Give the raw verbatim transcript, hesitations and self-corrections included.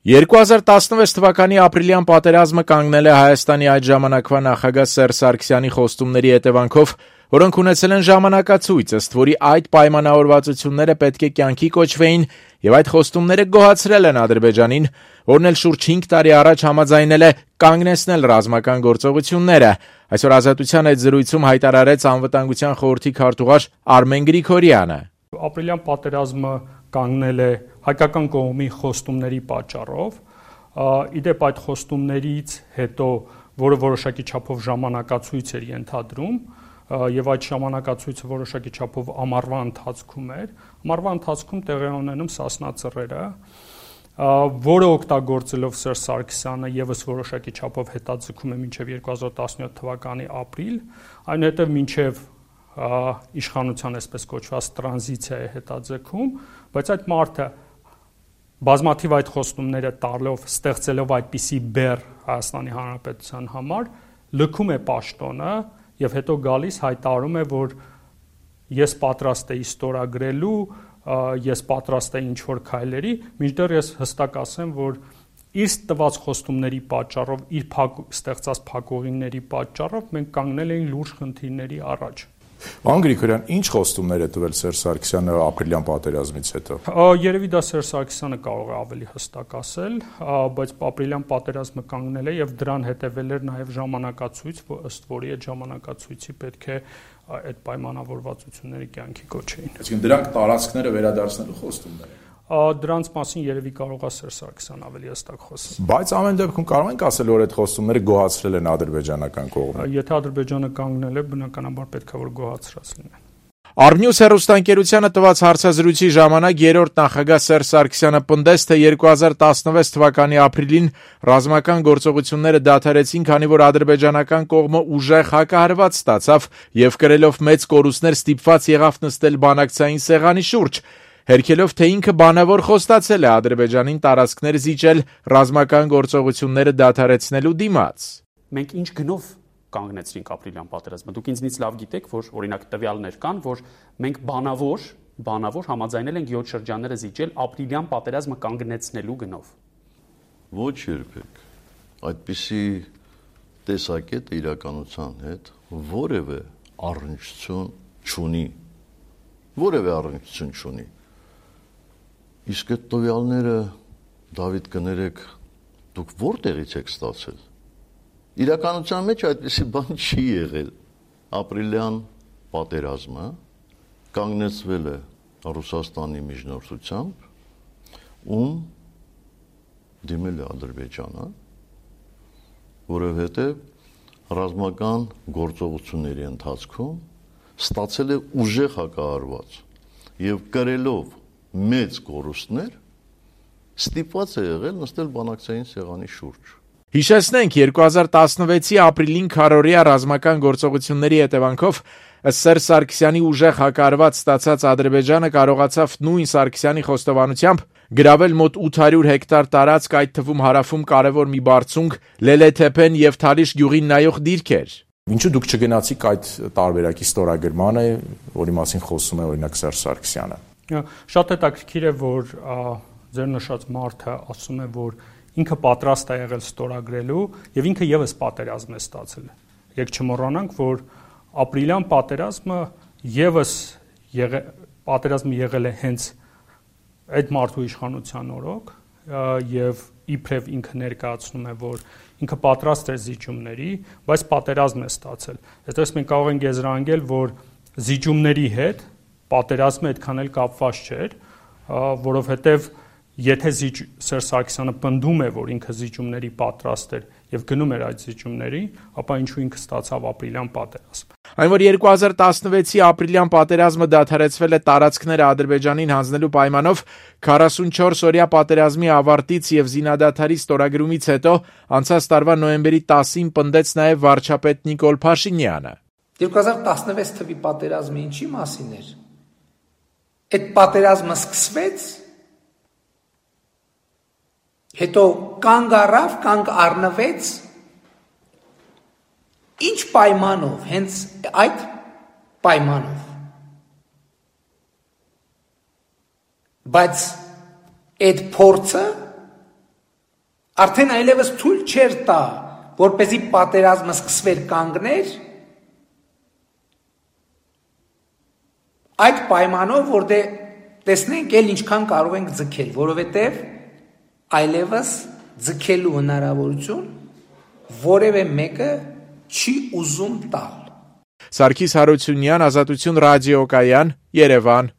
երկու հազար տասնվեց թվականի ապրիլյան պատերազմը կանգնել է Հայաստանի այդ ժամանակվա նախագահ Սերժ Սարգսյանի խոստումների հետևանքով, որոնք ունեցել են ժամանակացույց, ըստ որի այդ պայմանավորվածությունները պետք է կյանքի կոչվեին եւ այդ խոստումները գոհացրել են Ադրբեջանին, որն էլ շուրջ հինգ տարի առաջ համաձայնել է կանգնեցնել ռազմական գործողությունները։ Այսօր Ազատության այդ զրույցում հայտարարեց Անվտանգության խորհրդի քարտուղար Արմեն Գրիգորյանը։ Ապրիլյան պատերազմը կանգնել է հայկական կողմի խոստումների պատճառով, իդեպ այդ խոստումներից հետո, որը որոշակի չափով ժամանակացույց էր ենթադրում, եւ այդ ժամանակացույցը որոշակի չափով ամառվա ընթացքում էր, ամառվա ընթացքում տեղի ունենում Սասնա ծռերը, որը օգտագործելով Սերժ Սարգսյանը եւս որոշակի չափով հետաձգում է մինչեւ երկու հազար տասնյոթ թվականի ապրիլ, այնուհետեւ մինչեւ իշխանության այսպես կոչված տրանզիցիա է հետաձգում, բայց այդ մարդը բազմաթիվ այդ խոստումները տալով, ստեղծելով այդպիսի բեռ Հայաստանի Հանրապետության համար, լքում է պաշտոնը եւ հետո գալիս հայտարարում է, որ ես պատրաստ էի ստորագրելու, ես պատրաստ էի ինչ-որ քայլերի, մինչդեռ ես հստակ ասեմ, որ իր տված խոստումների պատճառով, իր փակ, ստեղծած փակուղիների պատճառով մենք կանգնել էինք լուրջ խնդիրների առաջ։ Պարոն Գրիգորյան, ինչ խոստումներ է տվել Սերժ Սարգսյանը ապրիլյան պատերազմից հետո։ Երևի դա Սերժ Սարգսյանը կարող է ավելի հստակ ասել, բայց ապրիլյան պատերազմը կանգնել է եւ դրան հետեւել էր նաեւ ժամանակացույց, ըստ որի այդ ժամանակացույցի պետք է այդ պայմանավորվածությունների կյանքի կոչեին։ Այսինքն դրանք տարածքները վերադարձնելու խոստումներ են։ Դրանց մասին երևի կարող է Սերժ Սարգսյանը ավելի հստակ խոսել։ Բայց ամեն դեպքում կարող ենք ասել, որ այդ խոստումները գոհացրել են ադրբեջանական կողմը։ Եթե Ադրբեջանը կանգնել է, բնականաբար պետք է որ գոհացրած լինեն։ Արմնյուս հեռուստաընկերությանը տված հարցազրույցի ժամանակ երրորդ նախագահ Սերժ Սարգսյանը պնդեց, թե երկու հազար տասնվեց թվականի ապրիլին ռազմական գործողությունները դադարեցին, քանի որ ադրբեջանական կողմը ուժեղ հակահարված ստացավ եւ կրելով մեծ կորուստներ ստիպված եղավ նստել բանակցային սեղանի շուրջ, հերքելով, թե ինքը բանավոր խոստացել է Ադրբեջանին տարածքներ զիջել ռազմական գործողությունները դադարեցնելու դիմաց։ Մենք ինչ գնով կանգնեցրինք ապրիլյան պատերազմը։ Դուք ինձնից լավ գիտեք, որ օրինակ տվյալներ կան, որ մենք բանավոր, բանավոր համաձայնել ենք յոթ շրջանները զիջել ապրիլյան պատերազմը կանգնեցնելու գնով։ Ոչ երբեք։ Այդպիսի տեսակետ իրականության հետ որևէ առնչություն չունի։ Որևէ առնչություն չունի։ Իսկ այդ տվյալները, Դավիթ, կներեք, դուք որտեղից եք ստացել։ Իրականության մեջ այդպիսի բան չի եղել։ Ապրիլյան պատերազմը կանգնեցվել է Ռուսաստանի միջնորդությամբ, ում դիմել է Ադրբեջանը, որովհետև ռազմական գործողությունների ընթացքում ստացել է ուժեղ հակահարված եւ կրելով մեծ կորուստներ ստիպված է եղել նստել բանակցային սեղանի շուրջ։ Հիշեցնենք, երկու հազար տասնվեցի ապրիլին քառօրյա ռազմական գործողությունների հետևանքով ըստ Սերժ Սարգսյանի ուժեղ հակահարված ստացած Ադրբեջանը կարողացավ նույն Սարգսյանի խոստովանությամբ գրավել մոտ ութ հարյուր հեկտար տարածք, այդ թվում հարավում կարևոր մի բարձունք, Լելեթեփեն եւ Թալիշ գյուղին նայող դիրքեր։ Ինչու դուք չգնացիք այդ տարբերակի ստորագրմանը, որի մասին խոսում է օրինակ Սերժ Սարգսյանը։ Շատ հետաքրքիր է, որ ձեր նշած մարդը ասում է, որ ինքը պատրաստ է եղել ստորագրելու եւ ինքը եւս պատերազմ է ստացել։ Եք չմոռանանք, որ ապրիլյան պատերազմը եւս եղել պատերազմը եղել է հենց այդ մարդու իշխանության օրոք եւ իբրև ինքը ներկայացնում է, որ ինքը պատրաստ է զիջումների, բայց պատերազմ է ստացել։ Այդպես մենք կարող ենք եզրահանգել, որ զիջումների հետ պատերազմը այդքան էլ կապված չէր, որովհետեւ եթե Սերժ Սարգսյանը պնդում է, որ ինքը զիջումների պատրաստ էր եւ գնում էր այդ զիջումների, ապա ինչու ինքը ստացավ ապրիլյան պատերազմ։ Այն որ երկու հազար տասնվեցի ապրիլյան պատերազմը դադարեցվել է տարածքները Ադրբեջանին հանձնելու պայմանով, քառասունչորս օրյա պատերազմի ավարտից եւ զինադադարի ստորագրումից հետո անցած տարվա նոյեմբերի տասին պնդեց նաեւ վարչապետ Նիկոլ Փաշինյանը։ երկու հազար տասնվեց թվականի պատերազմը ինչի մասին էր։ Այդ պատերազմը սկսվեց, հետո կանգ առավ, կանգ առնվեց, ինչ պայմանով, հենց այդ պայմանով։ Բայց այդ փորձը Արդեն այլևս թույլ չէր տա, որպեսզի պատերազմը սկսվեր կանգներ, այդ պայմանով, որ դե տեսնենք էլ ինչքան կարող ենք ձգել, որովհետև այլևս ձգելու հնարավորություն որևէ մեկը չի ուզում տալ։ Սարգիս Հարությունյան, Ազատություն ռադիոկայան, Երևան։